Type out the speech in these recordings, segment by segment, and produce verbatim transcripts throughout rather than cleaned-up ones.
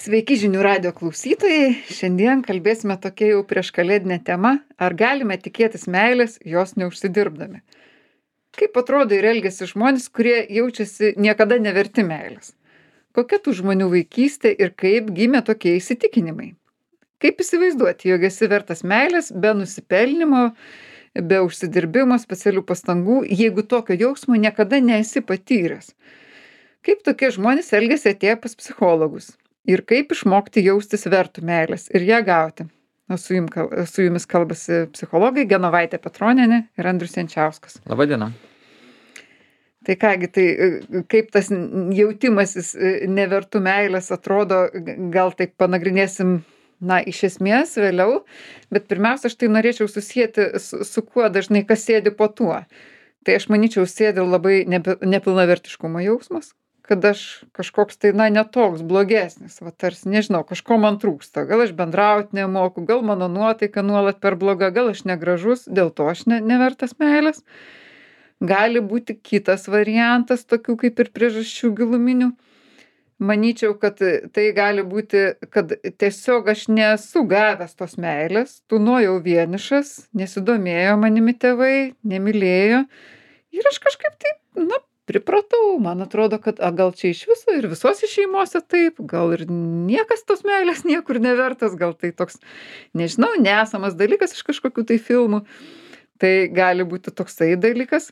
Sveiki žinių radijo klausytojai. Šiandien kalbėsime tokia jau prieškalėdinė tema. Ar galime tikėtis meilės, jos neužsidirbdami? Kaip atrodo ir elgiasi žmonės, kurie jaučiasi niekada neverti meilės? Kokia tų žmonių vaikystė ir kaip gimė tokie įsitikinimai? Kaip įsivaizduoti, jog esi vertas meilės be nusipelnimo, be užsidirbimo, specialių pastangų, jeigu tokio jausmo niekada nesi patyręs? Kaip tokie žmonės elgiasi atėję pas psichologus? Ir kaip išmokti jaustis vertų meilės ir ją gauti? O su, jum, su jumis kalbasi psichologai Genovaitė Petronienė ir Andrius Jančiauskas. Labadiena. Tai kągi, tai kaip tas jautimasis nevertų meilės atrodo, gal taip panagrinėsim, na, iš esmės vėliau, bet pirmiausia, aš tai norėčiau susijęti su, su kuo dažnai kas sėdi po tuo. Tai aš manyčiau, sėdi labai nepilnavertiškumo jausmas, kad aš kažkoks tai, na, netoks blogesnis, va tarsi, nežinau, kažko man trūksta, gal aš bendrauti nemoku, gal mano nuotaika nuolat per bloga, gal aš negražus, dėl to aš ne, nevertas meilės. Gali būti kitas variantas, tokių kaip ir priežasčių giluminių. Manyčiau, kad tai gali būti, kad tiesiog aš nesu gavęs tos meilės, tūnojau vienišas, nesidomėjo manimi tėvai, nemylėjo ir aš kažkaip tai, na, pripratau, man atrodo, kad a, gal čia iš viso ir visose šeimose taip, gal ir niekas tos meilės niekur nevertas, gal tai toks, nežinau, nesamas dalykas iš kažkokių tai filmų. Tai gali būti toksai dalykas.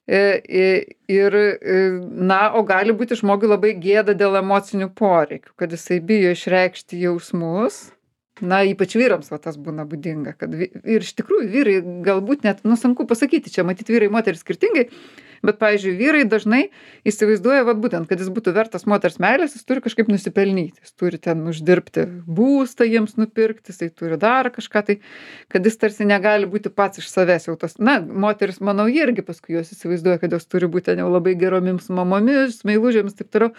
Ir, na, o gali būti žmogui labai gėda dėl emocinių poreikių, kad jisai bijo išreikšti jausmus. Na, ypač vyrams va tas būna būdinga, kad vi, ir iš tikrųjų vyrai galbūt net, nu, sunku pasakyti, čia matyt vyrai moteris skirtingai, bet, pavyzdžiui, vyrai dažnai įsivaizduoja, va būtent, kad jis būtų vertas moters meilės, jis turi kažkaip nusipelnyti, jis turi ten uždirbti būstą jiems nupirkti, jisai turi dar kažką tai, kad jis tarsi negali būti pats iš savęs jau tos, na, moteris, manau, irgi paskui jos įsivaizduoja, kad jos turi būti jau labai geromis mamomis, meilužėmis, taip toliau,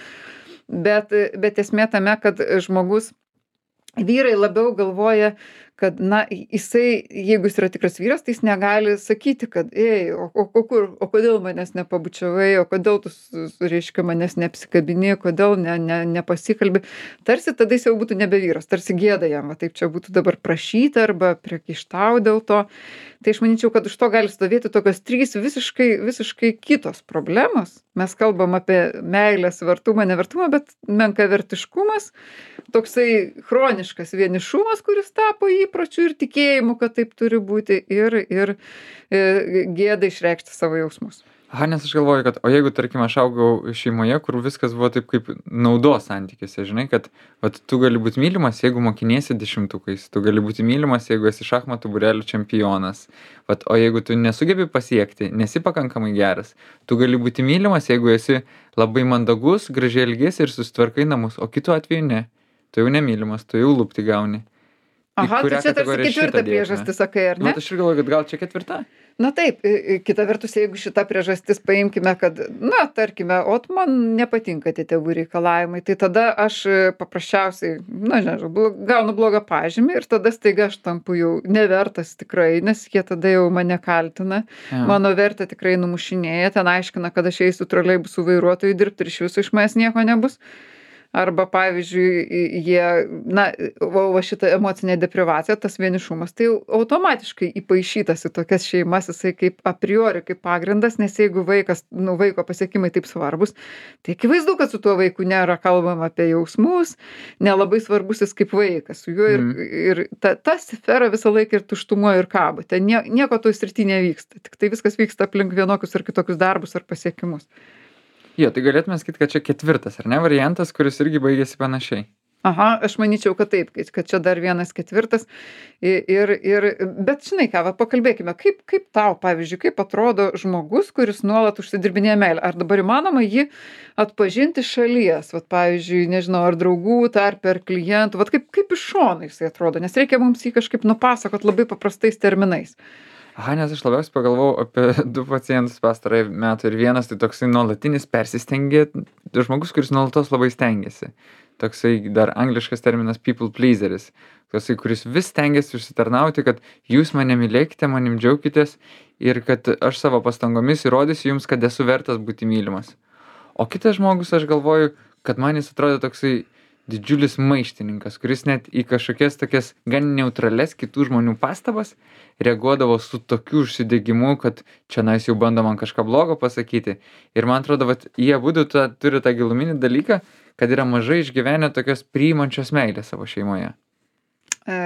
bet, bet esmė tame, kad žmogus vyrai labiau galvoja, kad, na, jisai, jeigu jis yra tikras vyras, tai jis negali sakyti, kad, ei, o, o, o kur, o kodėl manęs nepabučiavai, o kodėl tu, reiškia, manęs neapsikabini, kodėl ne, ne, nepasikalbi. Tarsi tada jis jau būtų nebe vyras, tarsi gėda jam, va taip čia būtų dabar prašyti arba priekaištauti dėl to. Tai aš manyčiau, kad už to gali stovėti tokios trys visiškai, visiškai kitos problemos. Mes kalbam apie meilės vertumą, nevertumą, bet menkavertiškumas, toksai chroniškas vienišumas, kuris tapo įpročiu ir tikėjimu, kad taip turi būti, ir, ir, ir gėda išreikšti savo jausmus. Aha, nes aš galvoju, kad, o jeigu, tarkim, aš augau šeimoje, kur viskas buvo taip kaip naudos santykiuose, žinai, kad vat, tu gali būti mylimas, jeigu mokiniesi dešimtukais, tu gali būti mylimas, jeigu esi šachmatų būrelių čempionas, vat, o jeigu tu nesugebi pasiekti, nesi pakankamai geras, tu gali būti mylimas, jeigu esi labai mandagus, gražiai elgiesi ir susitvarkai namus, o kitu atveju ne, tu jau nemylimas, tu jau lupti gauni. Aha, tai čia tarsi ketvirta priežastis, sakai, ar ne? Nu, aš ir galvoju, kad gal čia ketvirta? Na taip, kita vertus, jeigu šita priežastis paimkime, kad, na, tarkime, o man nepatinka tie tėvų reikalavimai, tai tada aš paprasčiausiai, na, nežinau, gaunu blogą pažymį ir tada staiga aš tampu jau nevertas tikrai, nes jie tada jau mane kaltina, ja. Mano vertę tikrai numušinėja, ten aiškina, kad aš eisiu troleibusų vairuotojų dirbti ir iš viso iš manęs nieko nebus. Arba, pavyzdžiui, jie, na, va šita emocinė deprivacija, tas vienišumas, tai automatiškai įpaišytas į tokias šeimas, jisai kaip a priori, kaip pagrindas, nes jeigu vaikas, nu, vaiko pasiekimai taip svarbus, tai akivaizdu, kad su tuo vaiku nėra kalbama apie jausmus, nelabai svarbus jis kaip vaikas, su juo ir, mm. ir ta, ta sfera visą laiką ir tuštumoje ir kabo, ten nie, nieko toj srity nevyksta, tik tai viskas vyksta aplink vienokius ar kitokius darbus ar pasiekimus. Jo, tai galėtume sakyti, kad čia ketvirtas, ar ne, variantas, kuris irgi baigėsi panašiai. Aha, aš manyčiau, kad taip, kad čia dar vienas ketvirtas. Ir, ir, bet žinai ką, va, pakalbėkime, kaip, kaip tau, pavyzdžiui, kaip atrodo žmogus, kuris nuolat užsidirbinėja meilę. Ar dabar įmanoma jį atpažinti šalies, va, pavyzdžiui, nežinau, ar draugų, tarp ar klientų, va, kaip, kaip iš šono jisai atrodo, nes reikia mums jį kažkaip nupasakot labai paprastais terminais. Aha, nes aš labiausiai pagalvojau apie du pacientus pastarąjį metą ir vienas tai toksai nuolatinis persistengė, žmogus, kuris nuolatos labai stengiasi. Toksai dar angliškas terminas people pleaseris, toksai, kuris vis stengiasi užsitarnauti, kad jūs mane mylėkite, manim džiaukitės ir kad aš savo pastangomis įrodysiu jums, kad esu vertas būti mylimas. O kitas žmogus, aš galvoju, kad man jis atrodo toksai didžiulis maištininkas, kuris net į kažkokias tokias gan neutrales kitų žmonių pastabas reaguodavo su tokiu užsidegimu, kad čionais jau bando man kažką blogo pasakyti. Ir man atrodo, vat jie abudu tą turi tą giluminį dalyką, kad yra mažai išgyvenę tokios priimančios meilės savo šeimoje. E,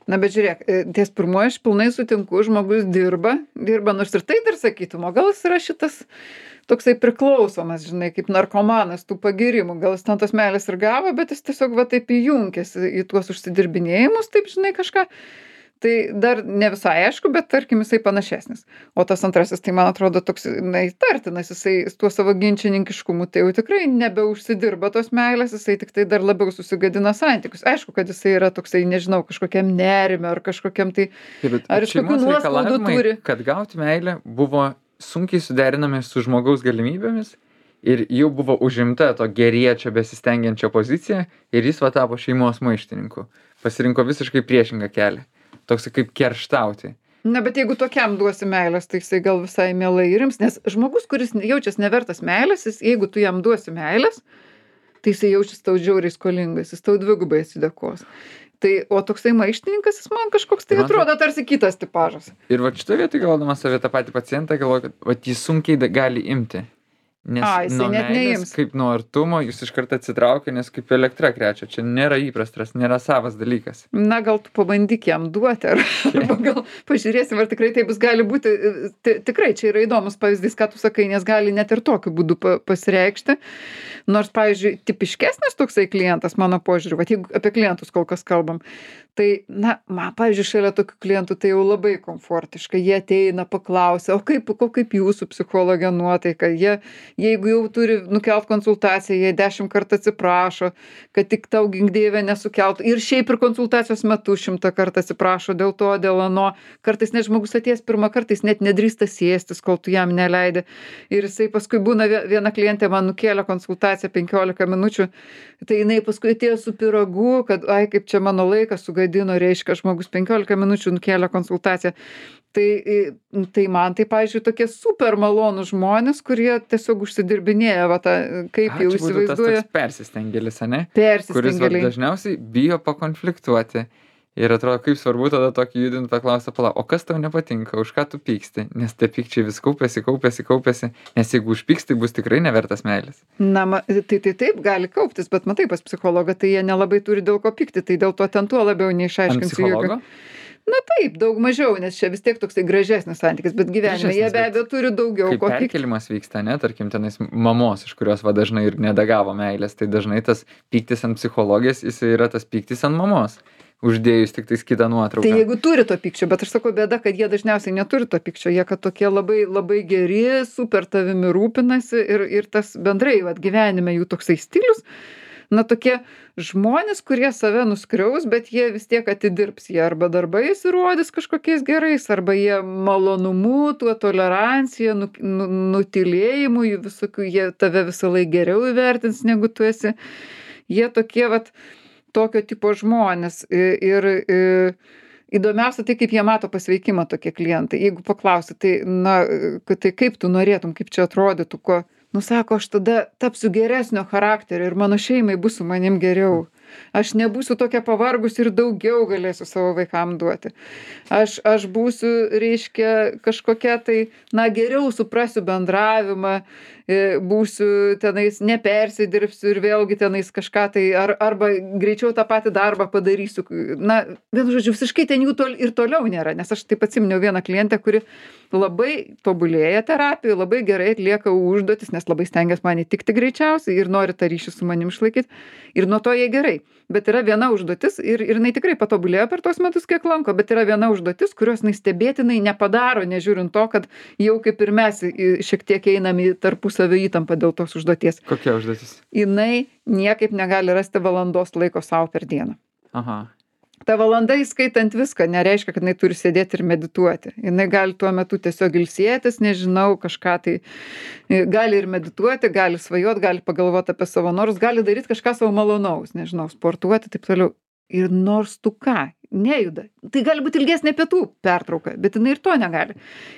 na, bet žiūrėk, e, ties pirmoji aš pilnai sutinku, žmogus dirba, dirba, nors ir tai dar sakytum, o gal jis yra šitas toksai priklausomas, žinai, kaip narkomanas tų pagyrimų, gal jis ten tos meilės ir gavo, bet jis tiesiog va taip įjunkęs į tuos užsidirbinėjimus, taip, žinai, kažką. Tai dar ne visai aišku, bet tarkim jisai panašesnis. O tas antrasis, tai man atrodo toks, na, įtartinas, jisai su tuo savo ginčininkiškumu, tai jau tikrai nebeužsidirba tos meilės, jisai tik tai dar labiau susigadina santykius. Aišku, kad jisai yra toksai, nežinau, kažkokiam nerime ar kažkokiam tai, Taip, bet ar iš kokių šeimos nuoskaudų reikalavimai, turi. kad gauti meilę, buvo sunkiai suderinami su žmogaus galimybėmis ir jau buvo užimta to geriečio besistengiančio pozicija ir jis va tapo šeimos maištininku. Pasirinko visiškai priešingą kelią. Toks kaip kerštauti. Na, bet jeigu tokiam duosi meilės, tai jisai gal visai mielai irims, nes žmogus, kuris jaučiasi nevertas meilės, jis, jeigu tu jam duosi meilės, tai jisai jaučiasi tau žiauriai skolingas, jis tau dvigubai atsidėkos. Tai, o toksai maištininkas, jis man kažkoks tai Man atrodo tarsi kitas tipažas. Ir va šitoje vietoje galvodamas apie tą patį pacientą, galvoju, kad va jis sunkiai da- gali imti. Nes A, jisai nuo net meilės, neims. kaip nuo artumo, jūs iš karto atsitraukia, nes kaip elektra krečia. Čia nėra įprastas, nėra savas dalykas. Na, gal tu pabandyk jam duoti, ar, arba gal pažiūrėsim, ar tikrai taip bus gali būti. Ti- Tikrai čia yra įdomus pavyzdys, ką tu sakai, nes gali net ir tokiu būdu pa- pasireikšti. Nors, pavyzdžiui, tipiškesnis toksai klientas, mano požiūriu, va, jeigu apie klientus kol kas kalbam, tai, na, man, pavyzdžiui, šalia tokių klientų tai jau labai komfortiška. Jie ateina, paklausia, o kaip, o kaip jūsų psichologė nuotaika? Jie, jeigu jau turi nukelt konsultaciją, jie dešimt kartų atsiprašo, kad tik tau gingdėvė nesukeltų. Ir šiaip ir konsultacijos metu šimtą kartų atsiprašo dėl to, dėl ano. Kartais net žmogus atėjęs pirmą kartą, jis net nedrįsta sėstis, kol tu jam neleidi. Ir jisai paskui būna, vie- viena klientė man nukėlė konsultaciją penkiolika minučių, tai jinai paskui atėjo su pyragu, kad, ai, kaip čia mano laikas sugadino, reiškia, žmogus penkiolika minučių nukėlė konsultaciją. Tai, tai man tai, pavyzdžiui, tokie super malonūs žmonės, kurie tiesiog užsidirbinėja, va, tą, kaip A, jau čia būtų tas įsivaizduoja, toks persistengėlis, ane? Kuris va, persistengėliai. dažniausiai bijo pakonfliktuoti. Ir atrodo, kaip svarbu tada tokį judinti paklausą, pala, o kas tau nepatinka, už ką tu pyksti? Nes tie pykčiai vis kaupiasi, kaupiasi, kaupiasi. Nes jeigu užpyksti, bus tikrai nevertas meilės. Na, ma- tai, tai taip gali kauptis, bet matai, pas psichologą tai jie nelabai turi dėl ko pykti, tai dėl to ten tuo labiau Ant neišaiškinsiu psichologo? Na taip, daug mažiau, nes čia vis tiek toksai gražesnis santykis, bet gyvenime jie Gražesnis, be bet abejo turi daugiau Kai ko pykti. perkelimas vyksta, ne, tarkim, tenais mamos, iš kurios va dažnai ir nedagavo meilės, tai dažnai tas pyktis ant psichologės, jis yra tas pyktis ant mamos. Uždėjus tik tais kitą nuotrauką. Tai jeigu turi to pykčio, bet aš sakau, bėda, kad jie dažniausiai neturi to pykčio, jie kad tokie labai, labai geri, super tavimi rūpinasi ir, ir tas bendrai vat, gyvenime jų toksai stilius, na tokie žmonės, kurie save nuskriaus, bet jie vis tiek atidirbs, jie arba darbais įrodys kažkokiais gerais, arba jie malonumu, tuo tolerancija, nu, nu, nutilėjimu, jų visokių, jie tave visą laiką geriau įvertins, negu tu esi. Jie tokie, vat, tokio tipo žmonės. Ir, ir įdomiausia tai, kaip jie mato pasveikimą tokie klientai. Jeigu paklausi, tai, na, tai kaip tu norėtum, kaip čia atrodytų, ko, nu sako, aš tada tapsiu geresnio charakterio ir mano šeimai bus su manim geriau. Aš nebūsiu tokia pavargus ir daugiau galėsiu savo vaikam duoti. Aš, aš būsiu, reiškia, kažkokia tai, na, geriau suprasiu bendravimą, būsiu tenais, nepersidirbsiu ir vėlgi tenais kažką tai, ar, arba greičiau tą patį darbą padarysiu. Na, vienu žodžiu, visiškai ten jų tol, ir toliau nėra, nes aš taip atsiminiau vieną klientę, kuri labai tobulėja terapijoje, labai gerai atlieka užduotis, nes labai stengiasi man įtikti greičiausiai ir nori tą ryšį su manim išlaikyti. Ir nuo to jai gerai. Bet yra viena užduotis ir, ir jinai tikrai patobulėjo per tos metus, kiek lanko, bet yra viena užduotis, kurios jinai stebėtinai nepadaro, nežiūrint to, kad jau kaip ir mes į- šiek tiek einam į tarpusavio įtampą dėl tos užduoties. Kokia užduotis? Jinai niekaip negali rasti valandos laiko savo per dieną. Aha. Ta valanda įskaitant viską nereiškia, kad jinai turi sėdėti ir medituoti. Jinai gali tuo metu tiesiog ilsėtis, nežinau, kažką tai, gali ir medituoti, gali svajoti, gali pagalvoti apie savo norus, gali daryti kažką savo malonaus, nežinau, sportuoti, taip toliau. Ir nors tu ką, nejuda. Tai gali būt ilgesnė pietų pertrauka, bet jinai ir to negali.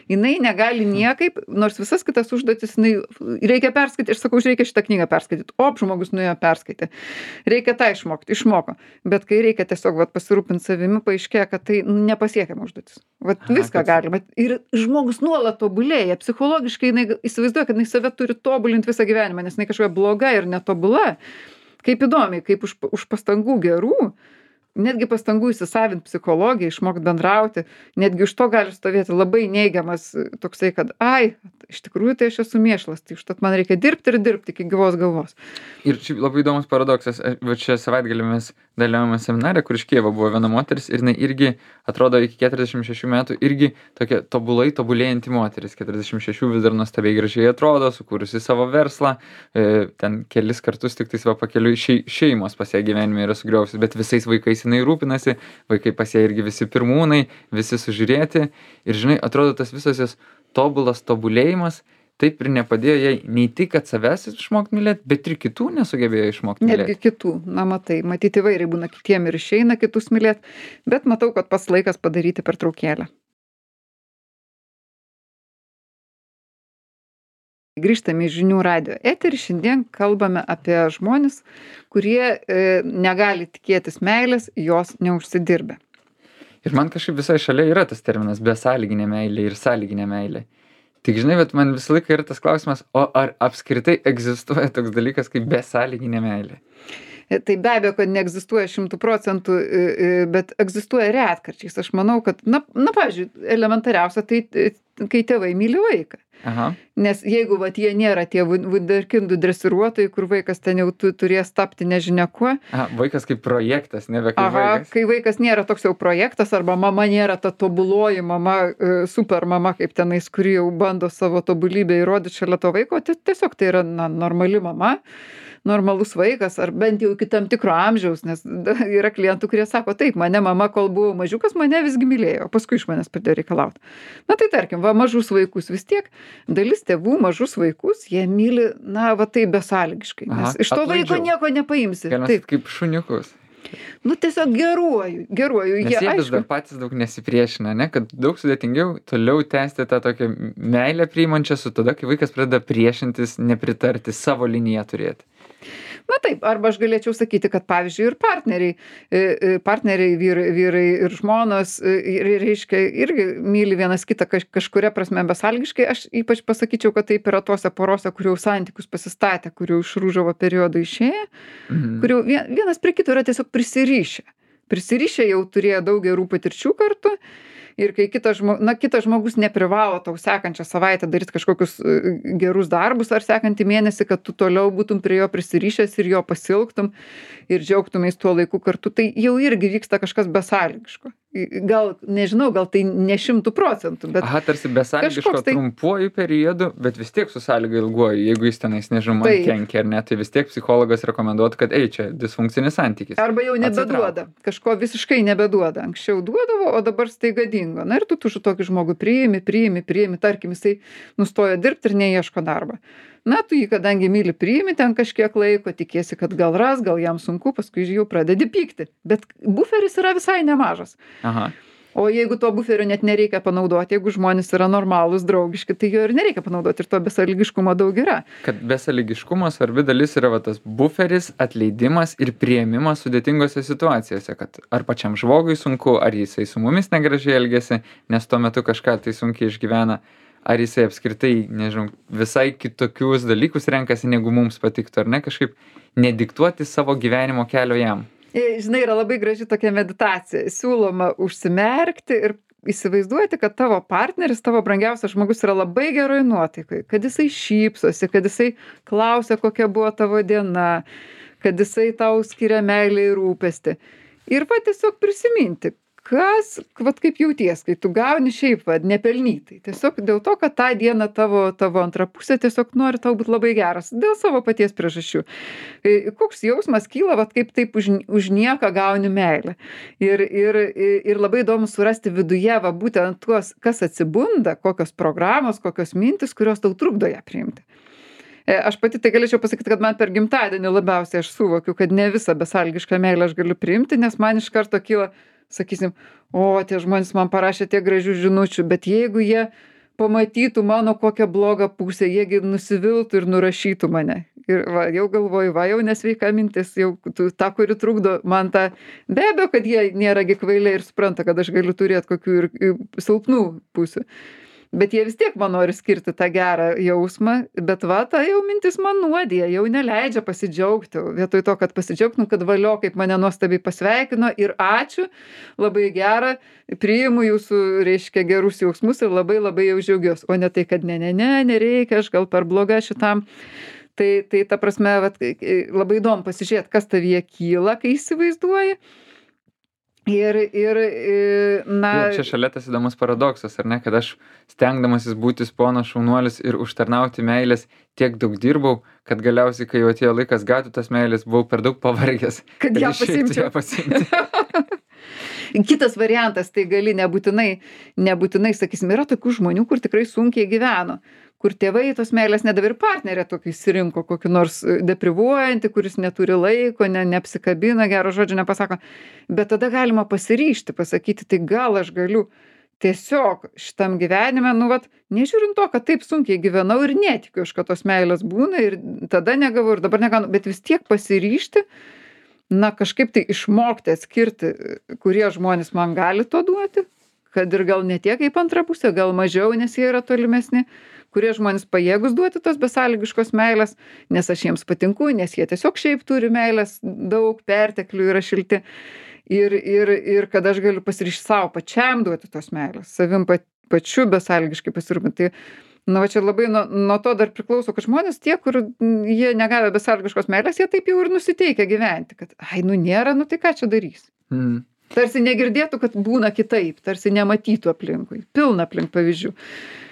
Jinai negali niekaip, nors visas kitas užduotis, jinai reikia perskaityti, aš sakau, reikia šitą knygą perskaityti. Op, žmogus nuėjo perskaitė. Reikia tą išmokti, išmoko. Bet kai reikia tiesiog vat, pasirūpinti savimi, paaiškėja, kad tai nepasiekiama užduotis. Vat Aha, viską kad- galima. Ir žmogus nuolat tobulėja. Psichologiškai jinai įsivaizduoja, kad jinai save turi tobulinti visą gyvenimą, nes jinai kažkokia bloga ir netobula. Kaip įdomiai, kaip už, už pastangų gerų, netgi pastangų įsisavint psichologiją, išmokt bendrauti, netgi iš to gali stovėti labai neigiamas toksai, kad ai, iš tikrųjų tai aš esu mėšlas, tai užtat man reikia dirbti ir dirbti iki gyvos galvos. Ir čia labai įdomus paradoksas. Aš- Va čia savaitgalį mes dalyvavome seminare, kur iš Kijevo buvo viena moteris ir jinai irgi atrodo iki keturiasdešimt šešių metų irgi tokia tobulai tobulėjanti moteris. keturiasdešimt šešių vis dar nuostabiai gražiai atrodo, sukūrusi savo verslą, e, ten kelis kartus tik tais va pakeliui šei, šeimos pas ją gyvenime yra sugriovusios, bet visais vaikais jinai rūpinasi, vaikai pas ją irgi visi pirmūnai, visi sužiūrėti. Ir žinai, atrodo tas visas jos tobulas tobulėjimas taip ir nepadėjo jai nei tik, kad savęs išmokti mylėti, bet ir kitų nesugebėjo išmokti Netgi mylėti. kitų, na matai, matyti įvairiai būna kitiem ir išeina kitus mylėti, bet matau, kad pats laikas padaryti pertraukėlę. Grįžtame į žinių radio eterį, šiandien kalbame apie žmonis, kurie e, negali tikėtis meilės, jos neužsidirbę. Ir man kažkaip visai šalia yra tas terminas besąlyginė meilė ir sąlyginė meilė. Tik žinai, bet man visą laiką yra tas klausimas, o ar apskritai egzistuoja toks dalykas kaip besąlyginė meilė? E, Tai be abejo, kad neegzistuoja šimtų procentų, e, e, bet egzistuoja retkarčiais. Aš manau, kad, na, na pavyzdžiui, elementariausia, tai e, kai tėvai myli vaiką. Aha. Nes jeigu vat, jie nėra tie vun- vunderkindų dresiruotojai, kur vaikas ten jau tu, turės tapti nežinia kuo, Aha, vaikas kaip projektas, nebe kaip aha, vaikas. kai vaikas nėra toks jau projektas, arba mama nėra ta tobuloji mama, e, super mama, kaip tenais, kuri jau bando savo tobulybę įrodyti šalia to vaiko, tai tiesiog tai yra na, normali mama, normalus vaikas, ar bent jau iki tam tikro amžiaus, nes da- yra klientų, kurie sako, taip, mane mama, kol buvau mažiukas, mane visgi mylėjo, o paskui iš manęs pradėjo reikalauti. Na tai tarkim, va, mažus vaikus vis tiek, dalis tėvų mažus vaikus, jie myli, na, va tai besąlygiškai, Aha, nes iš to vaiko atlaidžiau. nieko nepaimsi. Galima Taip, sakyt, kaip šuniukus. nu tiesiog geruoju, geruoju. Nes Jie, jie vis aišku, dar patys daug nesipriešina, ne? Kad daug sudėtingiau toliau tęsti tą tokią meilę priimančią su tada, kai vaikas pradeda priešintis, nepritarti, savo liniją turėti. na taip, arba aš galėčiau sakyti, kad pavyzdžiui ir partneriai, e, e, partneriai vyrai, vyrai ir žmonos, e, ir, reiškia, irgi myli vienas kitą kaž, kažkuria prasme besąlygiškai. Aš ypač pasakyčiau, kad taip yra tose porose, kur jau santykius pasistatė, kur jau iš rūžavo periodo išėję, Mhm. kur jau vien- vienas prie kito yra tiesiog prisirišę. Prisirišę jau turėjo daug gerų patirčių kartu. Ir kai kitas, žmo, na, kitas žmogus neprivalo tau sekančią savaitę daryti kažkokius e, gerus darbus ar sekantį mėnesį, kad tu toliau būtum prie jo prisirišęs ir jo pasilgtum ir džiaugtumės tuo laiku kartu, tai jau irgi vyksta kažkas besąlygiško. I- Gal, nežinau, gal tai ne šimtų procentų, bet Aha, tarsi besąlygiško kažkoks tai- trumpuoju periodu, bet vis tiek su sąlyga ilguoju. Jeigu jis tenais, nežinau, man Taip. kenkia ar ne, tai vis tiek psichologas rekomenduotų, kad ei, čia disfunkcinis santykis. arba jau nebeduoda, kažko visiškai nebeduoda. Anksčiau duodavo, o dabar staiga dingo. Na ir tu tu tokį žmogų priimi, priimi, priimi, tarkim, jisai nustojo dirbti ir neieško darbą. Na, tu jį, kadangi myli, priimi ten kažkiek laiko, tikėsi, kad gal ras, gal jam sunku, paskui jau pradedi pykti. Bet buferis yra visai nemažas. Aha. O jeigu to buferio net nereikia panaudoti, jeigu žmonės yra normalūs, draugiški, tai jo ir nereikia panaudoti ir to besąlygiškumo daug yra. Kad besąlygiškumo svarbi dalis yra va, tas buferis, atleidimas ir priėmimas sudėtingose situacijose, kad ar pačiam žmogui sunku, ar jisai su mumis negražiai elgesi, nes tuo metu kažką tai sunkiai išgyvena, ar jisai apskritai, nežinau, visai kitokius dalykus renkasi, negu mums patiktų, ar ne, kažkaip nediktuoti savo gyvenimo kelio jam. E, Žinai, yra labai graži tokia meditacija. Siūloma užsimerkti ir įsivaizduoti, kad tavo partneris, tavo brangiausias žmogus yra labai geroj nuotaikai, kad jisai šypsosi, kad jisai klausia, kokia buvo tavo diena, kad jisai tau skiria meilę ir rūpestį. Ir va tiesiog prisiminti, kas, vat kaip jauties, kai tu gauni šiaip, va, nepelnytai. Tiesiog dėl to, kad tą dieną tavo, tavo antra pusė tiesiog nori tau būti labai geras, dėl savo paties priežasčių. E, Koks jausmas kyla, va kaip taip už, už nieką gauni meilę. Ir, ir, ir labai įdomu surasti viduje, va būtent tuos, kas atsibunda, kokios programos, kokios mintis, kurios tau trukdo ją priimti. E, Aš pati tai galėčiau pasakyti, kad man per gimtadienį labiausiai aš suvokiu, kad ne visą besąlygišką meilę aš galiu priimti, nes man iš karto kyla, sakysim, o tie žmonės man parašė tiek gražių žinučių, bet jeigu jie pamatytų mano kokią blogą pusę, jiegi nusiviltų ir nurašytų mane. Ir va, jau galvoju, va, jau nesveika mintis, jau tu, ta, kuri trukdo man tą, be abejo, kad jie nėra gi kvailiai ir supranta, kad aš galiu turėti kokių ir, ir silpnų pusių. Bet jie vis tiek man nori skirti tą gerą jausmą, bet va, ta jau mintis man nuodija, jau neleidžia pasidžiaugti. Vietoj to, kad pasidžiaugtum, kad valio, kaip mane nuostabiai pasveikino ir ačiū, labai gera, priimu jūsų, reiškia, gerus jausmus ir labai labai jau džiaugiuosi. O ne tai, kad ne, ne, ne, nereikia, aš gal per bloga šitam. Tai, tai ta prasme, vat, labai įdomu pasižiūrėti, kas tavyje kyla, kai įsivaizduoji. Ir, ir, na... Ir čia šalia tas įdomus paradoksas, ar ne, kad aš stengdamasis būti ponas šaunuolis ir užtarnauti meilės tiek daug dirbau, kad galiausiai, kai jau atėjo laikas gauti tas meilės, buvau per daug pavargęs. Kad ją pasimčiau. pasimti. Kitas variantas, tai gali nebūtinai, nebūtinai, sakysim, yra tokių žmonių, kur tikrai sunkiai gyveno, kur tėvai tos meilės nedavė ir partnerė tokį įsirinko, kokį nors deprivuojantį, kuris neturi laiko, ne, neapsikabina, gero žodžio nepasako. Bet tada galima pasiryžti, pasakyti, tai gal aš galiu tiesiog šitam gyvenime, nu vat, nežiūrint to, kad taip sunkiai gyvenau ir netikiu aš, kad tos meilės būna ir tada negavau ir dabar negaunu, bet vis tiek pasiryžti, na kažkaip tai išmokti atskirti, kurie žmonės man gali to duoti, kad ir gal ne tiek kaip antra pusė, gal mažiau, nes jie yra tolimesni, kurie žmonės pajėgus duoti tos besąlygiškos meilės, nes aš jiems patinku, nes jie tiesiog šiaip turi meilės, daug perteklių yra šilti. Ir, ir, ir kad aš galiu pasiryžti savo pačiam duoti tos meilės, savim pa, pačiu besąlygiškai pasirūpinti. Tai, na, va čia labai nuo, nuo to dar priklauso, kad žmonės tie, kur jie negavę besąlygiškos meilės, jie taip jau ir nusiteikia gyventi, kad, ai, nu nėra, nu tai ką čia darys. Mm. Tarsi negirdėtų, kad būna kitaip, tarsi nematytų aplinkui. Pilna aplink pavyzdžių.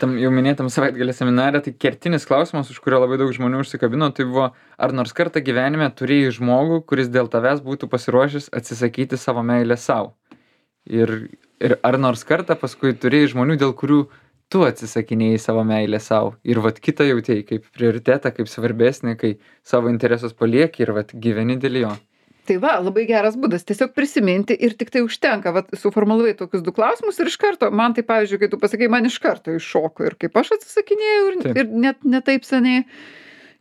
Tam jau minėtam savaitgalio seminare, tai kertinis klausimas, už kurio labai daug žmonių užsikabino, tai buvo, ar nors kartą gyvenime turėjai žmogų, kuris dėl tavęs būtų pasiruošęs atsisakyti savo meilę savo. Ir, ir ar nors kartą paskui turėjai žmonių, dėl kurių tu atsisakinėjai savo meilę savo. Ir vat kitą jautėjai kaip prioritetą, kaip svarbesnį, kai savo interesus palieki ir vat gyveni dėl jo. Tai va, labai geras būdas tiesiog prisiminti ir tik tai užtenka, va, suformulavai tokius du klausimus ir iš karto, man tai pavyzdžiui, kai tu pasakai, man iš karto iššoko ir kaip aš atsisakinėjau ir, ir net ne taip seniai.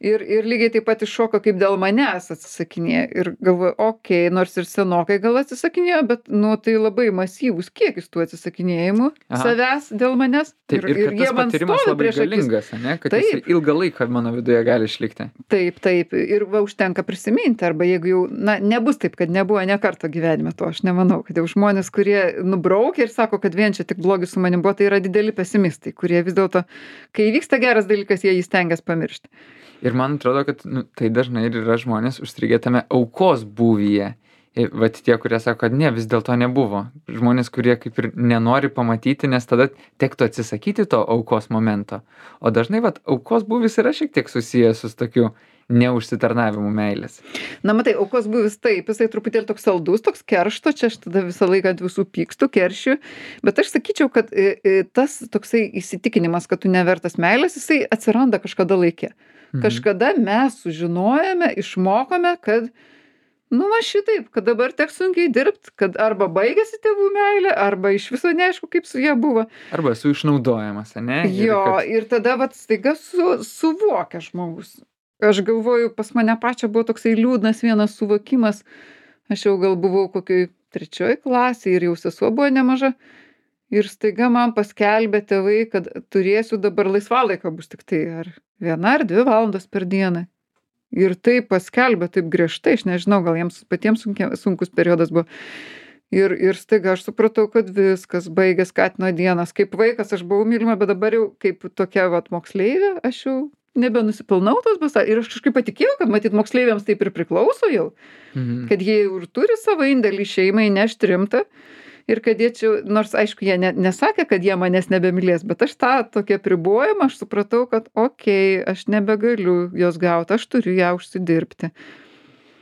Ir, ir lygiai taip pat iššoko, kaip dėl manęs atsisakinėjo. Ir galvoju, okei, okay, nors ir senokai gal atsisakinėjo, bet, nu, tai labai masyvus kiekis tų atsisakinėjimų Aha. savęs dėl manęs. Taip, ir, ir, ir tas patyrimas labai galingas, ne? Kad jis ilgą laiką mano viduje gali išlikti. Taip, taip. Ir va, užtenka prisiminti, arba jeigu jau, na, nebus taip, kad nebuvo ne karto gyvenime to, aš nemanau, kad jau žmonės, kurie nubraukia ir sako, kad vien čia tik blogis su manim buvo, tai yra dideli pesimistai, kurie vis dėlto, kai vyksta geras dalykas, jie jį stengiasi pamiršti. Ir man atrodo, kad nu, tai dažnai ir yra žmonės užstrigę tame aukos būvyje. Ir, vat tie, kurie sako, kad ne, vis dėlto nebuvo. Žmonės, kurie kaip ir nenori pamatyti, nes tada tektų atsisakyti to aukos momento. O dažnai vat, aukos būvis yra šiek tiek susijęs su tokiu neužsitarnavimu meilės. Na, matai, aukos būvis taip, jisai truputėlį toks saldus, toks keršto, čia aš tada visą laiką ant visų pykstu, keršiu, bet aš sakyčiau, kad tas toksai įsitikinimas, kad tu nevertas meilės, jisai atsiranda kažkada laikė. Kažkada mes sužinojame, išmokome, kad, nu, va šitaip, kad dabar teks sunkiai dirbti, kad arba baigėsi tėvų meilė, arba iš viso neaišku, kaip su jie buvo. Arba esu išnaudojamas, ne? Jo, ir, kad... ir tada, vat, staiga su, suvokia žmogus. Aš galvoju, pas mane pačią buvo toksai liūdnas vienas suvokimas. Aš jau gal buvau kokioj trečioj klasėje ir jau sesuo buvo nemaža. Ir staiga man paskelbė tėvai, kad turėsiu dabar laisvalaiko bus tik tai ar viena ar dvi valandos per dieną. Ir taip paskelbė, taip griežtai, aš nežinau, gal jiems patiems sunkia, sunkus periodas buvo. Ir, ir staiga aš supratau, kad viskas baigė skatino dienas. Kaip vaikas aš buvau mylima, bet dabar jau kaip tokia vat moksleivė, aš jau nebenusipilnau tos basą. Ir aš kažkaip patikėjau, kad matyt moksleiviams taip ir priklauso jau. Mhm. Kad jie ir turi savo indėlį šeimai nešti rimtą. Ir kad jie čia, nors aišku, jie ne, nesakė, kad jie manęs nebemylės, bet aš tą tokį apribojimą, aš supratau, kad okei, okay, aš nebegaliu jos gauti, aš turiu ją užsidirbti.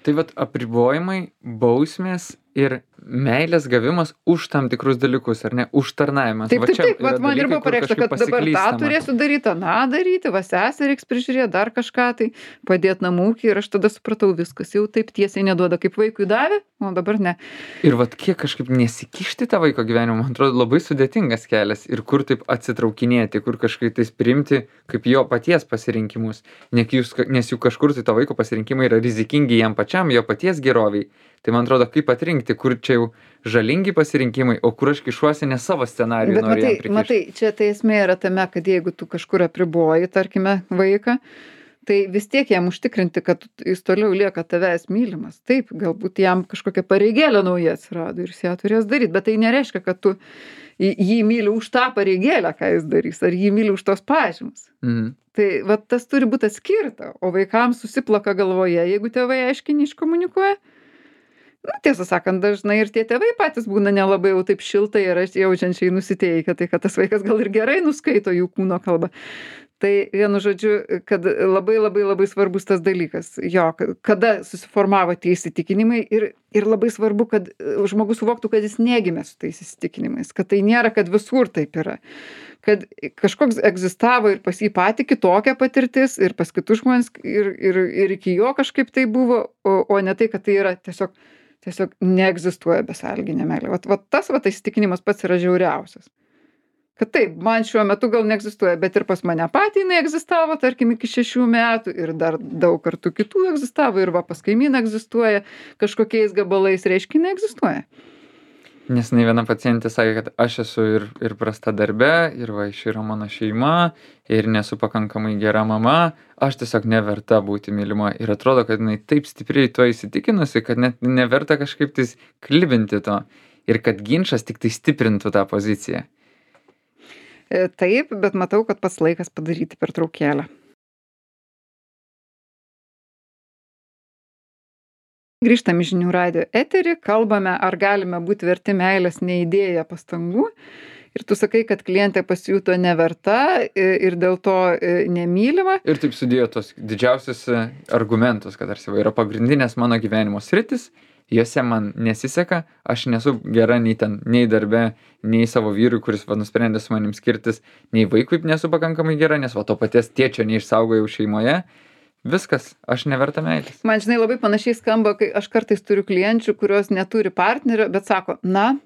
Tai vat apribojimai, bausmės ir meilės gavimas už tam tikrus dalykus, ar ne? Užtarnavimas. Taip, Va taip, čia taip, yra vat man ir dalykai, buvo kur pareikšta, kažkaip kad dabar tą pasiklystama. turėsiu daryt, aną daryti, va sesę reiks prižiūrėt, dar kažką tai, padėt namų ūky ir aš tada supratau, viskas jau taip tiesiai neduoda, kaip vaikui davė, o dabar ne. Ir vat kiek kažkaip nesikišti tą vaiko gyvenimą, man atrodo, labai sudėtingas kelias. Ir kur taip atsitraukinėti, kur kažkaip tais priimti kaip jo paties pasirinkimus. Nek jūs, nes juk kažkur tai to vaiko pasirinkimai yra rizikingi jam pačiam, jo paties geroviai. Tai man atrodo, kaip atrinkti, kur čia jau žalingi pasirinkimai, o kur aš kišuosi ne savo scenarijų. Bet matai, matai, čia tai esmė yra tame, kad jeigu tu kažkur apriboji, tarkime, vaiką, tai vis tiek jam užtikrinti, kad jis toliau lieka tavęs mylimas. Taip, galbūt jam kažkokia pareigėlė nauja atsirado ir jis ją turės daryti, bet tai nereiškia, kad tu jį myli už tą pareigėlę, ką jis darys, ar jį myli už tos pažymus. Mhm. Tai va, tas turi būti atskirta, o vaikams susiplaka galvoje, jeigu tėvai aiškiai neiškomunikuoja. Na, tiesą sakant, dažnai ir tie tėvai patys būna nelabai jau taip šiltai ir jaučiančiai nusiteikę, tai kad tas vaikas gal ir gerai nuskaito jų kūno kalbą. Tai vienu žodžiu, kad labai labai labai svarbus tas dalykas, jo, kada susiformavo tie įsitikinimai ir, ir labai svarbu, kad žmogus suvoktų, kad jis negimė su tais įsitikinimais, kad tai nėra, kad visur taip yra, kad kažkoks egzistavo ir pas jį patį kitokia patirtis ir pas kitus žmonės ir, ir, ir iki jo kažkaip tai buvo, o, o ne tai, kad tai yra tiesiog Tiesiog neegzistuoja besąlyginė meilė. Vat, vat tas vat įsitikinimas pats yra žiauriausias. Kad taip, man šiuo metu gal neegzistuoja, bet ir pas mane patį jinai egzistavo, tarkim, iki šešių metų ir dar daug kartų kitų egzistavo ir va pas kaimyną egzistuoja, kažkokiais gabalais reiškia, jinai egzistuoja. Nes ne viena pacientė sakė, kad aš esu ir, ir prasta darbe, ir va, iš yra mano šeima, ir nesu pakankamai gera mama, aš tiesiog neverta būti mylima. Ir atrodo, kad jinai taip stipriai to įsitikinusi, kad net neverta kažkaip tais klibinti to. Ir kad ginčas tik tai stiprintų tą poziciją. Taip, bet matau, kad pats laikas padaryti pertraukėlę. Grįžtam į žinių radijo eterį, kalbame, ar galime būti verti meilės neįdėję pastangų. Ir tu sakai, kad klientė pasijuto neverta ir dėl to nemylima. Ir taip sudėjo tos didžiausius argumentus, kad tarsi yra pagrindinės mano gyvenimo sritis, jose man nesiseka, aš nesu gera nei ten, nei darbe, nei savo vyrui, kuris va, nusprendė su manim skirtis, nei vaikui nesu pakankamai gera, nes va to paties tėčio neišsaugojau šeimoje. Viskas, aš neverta meilės. Man, žinai, labai panašiai skamba, kai aš kartais turiu klienčių, kurios neturi partnerio, bet sako, na,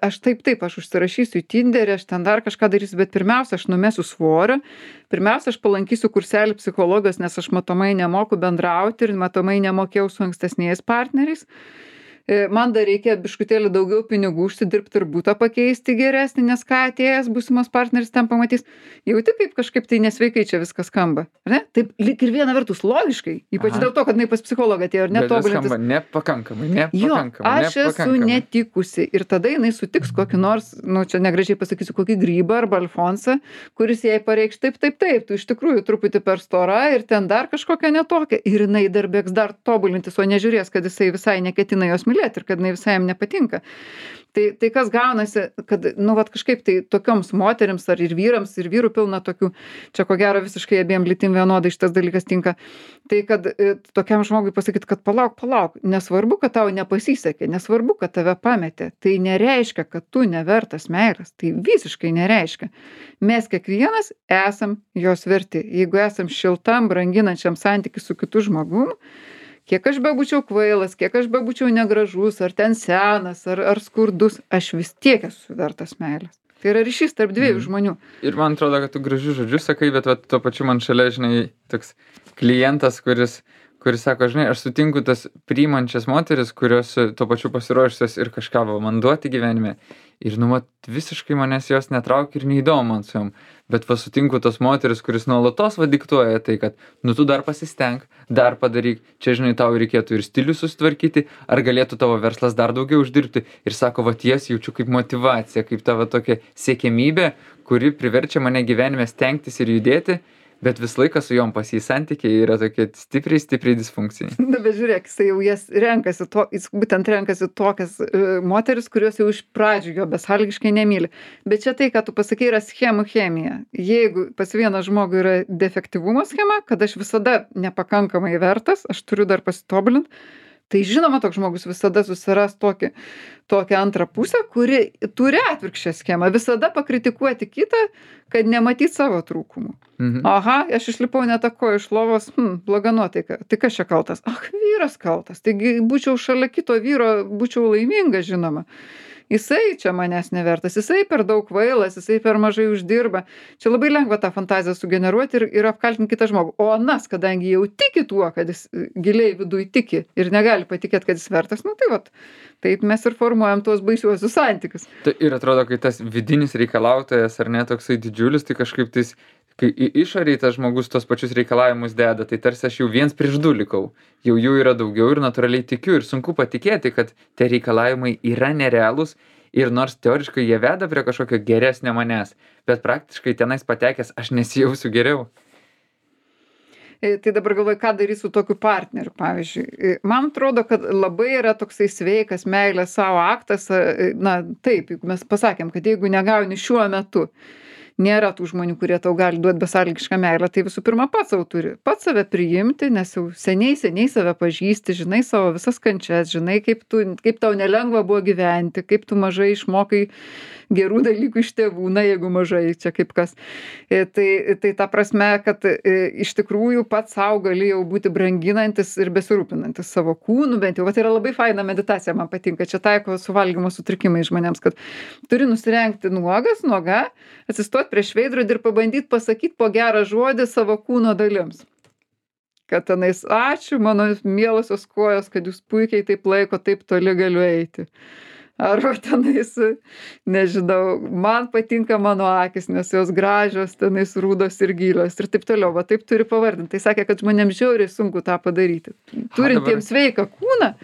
aš taip, taip, aš užsirašysiu į Tinderį, aš ten dar kažką darysiu, bet pirmiausia, aš numesiu svorio, pirmiausia, aš palankysiu kurselį psichologijos, nes aš matomai nemoku bendrauti ir matomai nemokėjau su ankstesniais partneriais. Man dar reikia biškutėlį daugiau pinigų užsidirbti ir būtą pakeisti geresnį, nes ką atėjęs būsimas partneris ten pamatys. Jauti, kaip kažkaip tai nesveikai čia viskas skamba. Ne? Taip, lyg ir viena vertus logiškai, ypač Aha. dėl to, kad jinai pas psichologą atėjo ir netobulintis. Bet nepakankamai, nepakankamai. Jo, aš nepakankamai. esu netikusi ir tada jinai sutiks kokį nors, nu čia negražiai pasakysiu, kokį grybą arba alfonsą, kuris jai pareikš taip, taip, taip, tu iš tikrųjų truputį per stora ir ten dar kažkokia netokia. Ir jinai dar bėgs dar tobulintis, o nežiūrės, kad jisai visai neketina jos mylėti ir kad jinai visai jam nepatinka. Tai, tai kas gaunasi, kad, nu, vat kažkaip tai tokioms moterims ar ir vyrams, ir vyrų pilna tokių, čia ko gero visiškai abiem lytim vienodai šitas dalykas tinka, tai kad e, tokiam žmogui pasakyti, kad palauk, palauk, nesvarbu, kad tau nepasisekė, nesvarbu, kad tave pametė, tai nereiškia, kad tu nevertas meilės, tai visiškai nereiškia. Mes kiekvienas esam jos verti. Jeigu esam šiltam, branginančiam santykių su kitu žmogum, kiek aš bebūčiau kvailas, kiek aš bebūčiau negražus, ar ten senas, ar, ar skurdus, aš vis tiek esu vertas meilės. Tai yra ryšys tarp dviejų mm. žmonių. Ir man atrodo, kad tu gražius žodžius sakai, bet va, tuo pačiu man šalia, žinai, toks klientas, kuris, kuris sako, žinai, aš sutinku tas priimančias moteris, kurios tuo pačiu pasiruošusios ir kažką va, man duoti gyvenime. Ir, nu, mat, visiškai manęs jos netraukia ir neįdomu man su jom. Bet va sutinku tos moteris, kuris nuolatos va diktuoja tai, kad, nu, tu dar pasistenk, dar padaryk, čia, žinai, tau reikėtų ir stilių susitvarkyti, ar galėtų tavo verslas dar daugiau uždirbti. Ir sako, va ties jaučiu kaip motyvacija, kaip tavo tokia siekiamybė, kuri priverčia mane gyvenime stengtis ir judėti. Bet visą laiką su jom pas jį santykiai yra tokie stipriai, stipriai disfunkciniai. Na, bet žiūrėk, jisai jau jas renkasi, to, jis būtent renkasi tokias uh, moteris, kurios jau iš pradžių jo besąlygiškai nemyli. Bet čia tai, ką tu pasakai, yra schemų chemija. Jeigu pas vieną žmogų yra defektyvumo schema, kad aš visada nepakankamai vertas, aš turiu dar pasitobulinti, Tai žinoma, toks žmogus visada susiras tokį, tokią antrą pusę, kuri turi atvirkščią schemą. Visada pakritikuoti kitą, kad nematyt savo trūkumų. Mhm. Aha, aš išlipau netako iš lovos, hm, bloga nuotaika. Tai kas čia kaltas? Ach, vyras kaltas. Taigi būčiau šalia kito vyro, būčiau laiminga, žinoma. Jisai čia manęs nevertas, jisai per daug kvailas, jisai per mažai uždirba. Čia labai lengva tą fantaziją sugeneruoti ir, ir apkaltinti kitą žmogų. O anas, kadangi jau tiki tuo, kad jis giliai viduj tiki ir negali patikėti, kad jis vertas, nu tai vat, taip mes ir formuojam tuos baisiuosius santykius. Tai ir atrodo, kai tas vidinis reikalautojas ar ne toksai didžiulis, tai kažkaip tais, kai į išorį tas žmogus tos pačius reikalavimus deda, tai tarsi aš jau viens prieš du likau. Jau jų yra daugiau ir natūraliai tikiu ir sunku patikėti, kad tie reikalavimai yra nerealūs ir nors teoriškai jie veda prie kažkokio geresnio manęs, bet praktiškai tenais patekęs aš nesijausiu geriau. Tai dabar galvoju, ką daryti su tokiu partneriu, pavyzdžiui. Man atrodo, kad labai yra toksai sveikas meilės savo aktas, na taip, juk mes pasakėm, kad jeigu negauni šiuo metu, nėra tų žmonių, kurie tau gali duoti besąlygišką meilę, tai visų pirma pats sau turi. Pats save priimti, nes jau seniai, seniai save pažįsti, žinai savo visas kančias, žinai, kaip, tu, kaip tau nelengva buvo gyventi, kaip tu mažai išmokai gerų dalykų iš tėvų, na jeigu mažai, čia kaip kas. Tai, tai ta prasme, kad iš tikrųjų pats savo gali jau būti branginantis ir besirūpinantis savo kūnu, bent jau, va, tai yra labai faina meditacija, man patinka, čia taiko su valgymo sutrikimai žmonėms, kad turi nusirengti nuogas, nuoga, atsistoti prieš veidrodį ir pabandyti pasakyti po gerą žodį savo kūno dalims. Kad tenais, ačiū mano mielosios kojos, kad jūs puikiai taip laiko, taip toli galiu eiti. Arba tenais, nežinau, man patinka mano akis, nes jos gražios, tenais rūdos ir gilios ir taip toliau. Va taip turi pavardinti. Tai sakė, kad žmonėms žiauriai sunku tą padaryti. Turintiems sveiką kūną,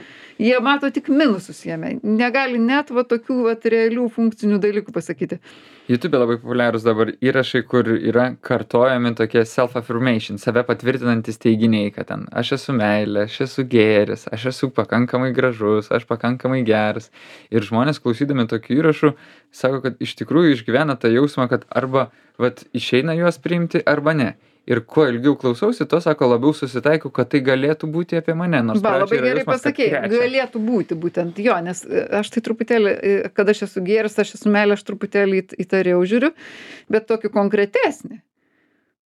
jie mato tik minusus jame. Negali net va tokių va realių funkcinių dalykų pasakyti. YouTube labai populiarūs dabar įrašai, kur yra kartojami tokie self-affirmation, save patvirtinantis teiginiai, kad ten aš esu meilė, aš esu gėris, aš esu pakankamai gražus, aš pakankamai geras. Ir žmonės klausydami tokių įrašų sako, kad iš tikrųjų išgyvena tą jausmą, kad arba vat, išeina juos priimti, arba ne. Ir kuo ilgiau klausausi, to sako, labiau susitaikau, kad tai galėtų būti apie mane. Nors ba, labai gerai jausmas, pasakei, galėtų būti būtent jo, nes aš tai truputėlį, kad aš esu gėris, aš esu meilė, aš truputėlį įtariau žiūriu, bet tokį konkretesnį.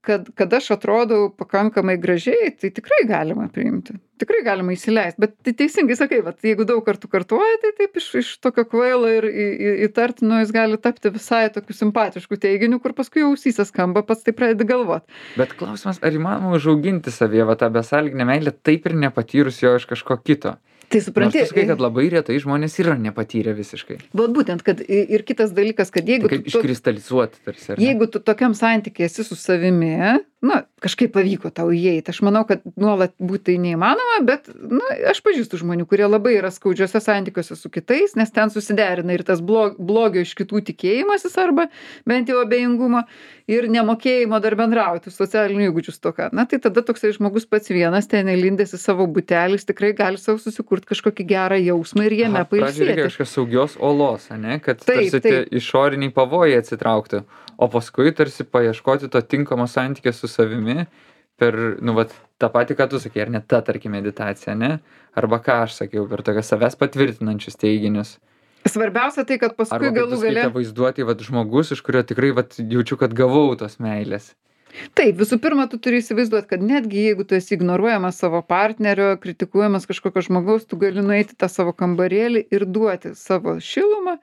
Kad, kad aš atrodau pakankamai gražiai, tai tikrai galima priimti. Tikrai galima įsileisti. Bet tai teisingai sakai, vat, jeigu daug kartų kartuoja, tai taip iš, iš tokio kvailo ir įtartino jis gali tapti visai tokiu simpatišku teiginiu, kur paskui ausyse skamba, pats tai pradedi galvot. Bet klausimas, ar įmanoma užauginti savyje va, tą besąlyginę meilę taip ir nepatyrus jo iš kažko kito? Tai supranti, nors tu sakai, kad labai retai žmonės yra nepatyrę visiškai. Bet būtent, kad ir kitas dalykas, kad jeigu... Tai kaip tu, iškristalizuoti tarsi. Ar jeigu tu tokiam santykiai esi su savimi, na, kažkaip pavyko tau įeiti. Aš manau, kad nuolat būti neįmanoma, bet, na, aš pažįstu žmonių, kurie labai yra skaudžiuose santykiuose su kitais, nes ten susiderina ir tas blog, blogio iš kitų tikėjimasis arba bent jau abejingumo ir nemokėjimo dar bendrauti, socialinių įgūdžių stoka. Na, tai tada toksai žmogus pats vienas ten įlindęs į savo butelį, tikrai gali savo susikurti kažkokį gerą jausmą ir jame pailsėti. Pradžiai reikia kažkokios saugios olos, ne? Kad taip, tarsi tie išoriniai pavojai atsitraukti, o paskui tarsi paieškoti to tinkamo santykio su savimi per, nu, vat, tą patį, ką tu sakei, ar ne ta, tarkim, meditacija, ne? Arba ką aš sakiau, per tokias savęs patvirtinančius teiginius. Svarbiausia tai, kad paskui arba, galų gale... Arba vaizduoti, vat, žmogus, iš kurio tikrai, vat, jaučiu, kad gavau tos meilės. Taip, visų pirma, tu turi įsivaizduoti, kad netgi jeigu tu esi ignoruojamas savo partnerio, kritikuojamas kažkokio žmogaus, tu gali nueiti tą savo kambarėlį ir duoti savo šilumą,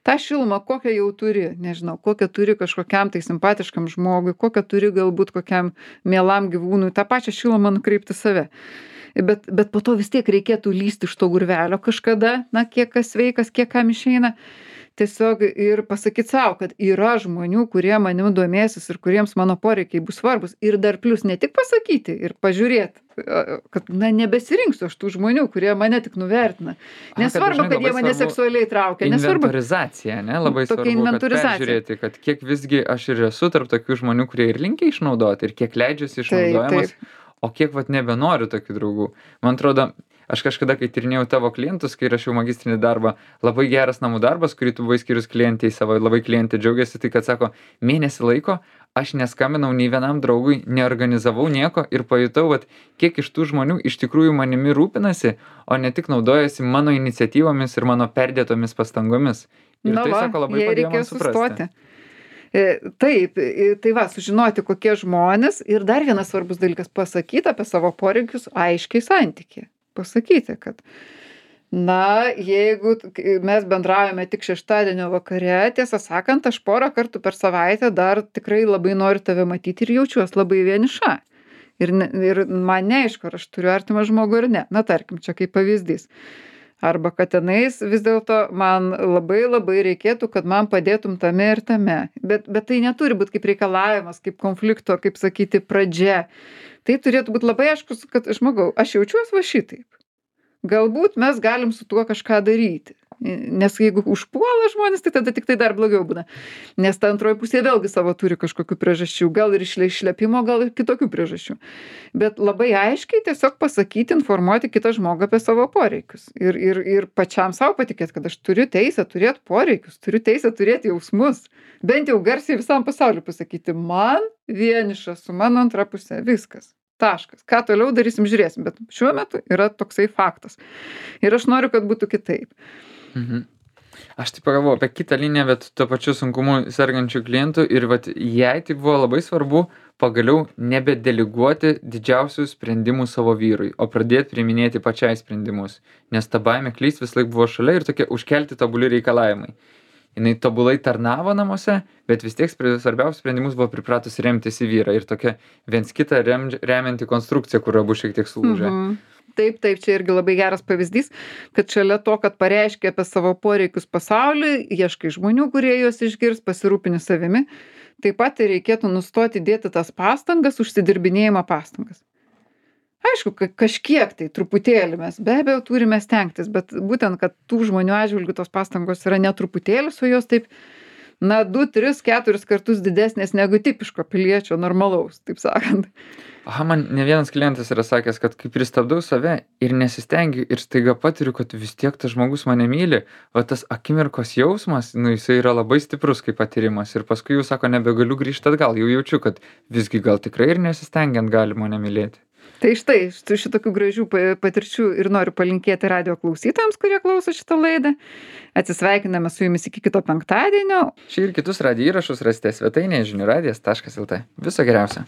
tą šilumą, kokią jau turi, nežinau, kokią turi kažkokiam tai simpatiškam žmogui, kokią turi galbūt kokiam mielam gyvūnui, tą pačią šilumą nukreipti save. Bet, bet po to vis tiek reikėtų lysti iš to gurvelio kažkada, na, kiek kas sveikas, kiek kam išeina. Tiesiog ir pasakyti savo, kad yra žmonių, kurie manim domėsis ir kuriems mano poreikiai bus svarbus. Ir dar plus ne tik pasakyti ir pažiūrėti, kad na, nebesirinksiu aš tų žmonių, kurie mane tik nuvertina. Nesvarbu, kad, kad jie mane seksualiai traukia. Inventorizacija, ne? Labai svarbu, kad peržiūrėti, kad kiek visgi aš ir esu tarp tokių žmonių, kurie ir linkia išnaudoti, ir kiek leidžiasi išnaudojamas, taip, taip. O kiek vat nebenoriu tokių draugų. Man atrodo, aš kažkada, kai tyrinėjau tavo klientus, kai rašiau magistrinį darbą, labai geras namų darbas, kurį tu buvai skirius klientei savo, labai klientė džiaugiasi, tai kad sako, mėnesį laiko aš neskambinau nei vienam draugui, neorganizavau nieko ir pajutau, vat, kiek iš tų žmonių iš tikrųjų manimi rūpinasi, o ne tik naudojasi mano iniciatyvomis ir mano perdėtomis pastangomis. Ir Na tai, va, sako, labai jai padėjo reikėjo man suprasti. sustoti. E, Taip, e, tai va, sužinoti, kokie žmonės ir dar vienas svarbus dalykas - pasakyti apie savo poreikius aiškiai santykiai. Pasakyti, kad, na, jeigu t- k- mes bendraujame tik šeštadienio vakare, tiesą sakant, aš porą kartų per savaitę dar tikrai labai noriu tave matyti ir jaučiuosi labai vieniša. Ir, ne, ir man neaišku, ar aš turiu artimą žmogų ar ne. Na, tarkim, čia kaip pavyzdys. Arba kad tenais vis dėlto man labai labai reikėtų, kad man padėtum tame ir tame. Bet, bet tai neturi būti kaip reikalavimas, kaip konflikto, kaip sakyti, pradžia. Tai turėtų būti labai aiškus, kad žmogau, aš jaučiuosi va šitaip. Galbūt mes galim su tuo kažką daryti. Nes jeigu užpuola žmonės, tai tada tik tai dar blogiau būna. Nes ta antroji pusė vėlgi savo turi kažkokių priežasčių. Gal ir išle- išlepimo, gal ir kitokių priežasčių. Bet labai aiškiai tiesiog pasakyti, informuoti kitą žmogų apie savo poreikius. Ir, ir, ir pačiam savo patikėti, kad aš turiu teisę turėti poreikius, turiu teisę turėti jausmus. Bent jau garsiai visam pasauliu pasakyti, man vieniša su mano antra pusė. Viskas. Taškas. Ką toliau darysim, žiūrėsim. Bet šiuo metu yra toksai faktas. Ir aš noriu, kad būtų kitaip. Mhm. Aš taip pagalvojau apie kitą liniją, bet tuo pačiu sunkumu sergančių klientų ir vat jai tai buvo labai svarbu pagaliau nebedeleguoti didžiausių sprendimų savo vyrui, o pradėti priiminėti pačiai sprendimus. Nes ta baimė klyst vis laik buvo šalia ir tokie užkelti tobuli reikalavimai. Jinai tobulai tarnavo namuose, bet vis tiek spre- svarbiausius sprendimus buvo pripratus remtis į vyrą ir tokia viens kitą rem, remianti konstrukcija, kur abu šiek tiek sulūžė. Mhm. Taip, taip, čia irgi labai geras pavyzdys, kad šalia to, kad pareiškia apie savo poreikius pasauliui, ieškai žmonių, kurie juos išgirs, pasirūpini savimi, taip pat ir reikėtų nustoti dėti tas pastangas, užsidirbinėjimo pastangas. Aišku, ka- kažkiek tai truputėlį mes be abejo turime stengtis, bet būtent, kad tų žmonių atžvilgių tos pastangos yra netruputėlis, o jos taip, na, du, tris, keturis kartus didesnės negu tipiško piliečio normalaus, taip sakant. Aha, man ne vienas klientas yra sakęs, kad kai pristabdau save ir nesistengiu ir staiga patiriu, kad vis tiek tas žmogus mane myli, o tas akimirkos jausmas, nu, jisai yra labai stiprus kaip patyrimas ir paskui jau sako, nebegaliu grįžti atgal, jau jaučiu, kad visgi gal tikrai ir nesistengiant gali mane mylėti. Tai štai, štai šitokių gražių pa- patirčių ir noriu palinkėti radio klausytojams, kurie klauso šitą laidą. Atsisveikiname su jumis iki kito penktadienio. Šį ir kitus radijo įrašus rasite svetainėje žinių radijas taškas lt. Viso geriausio.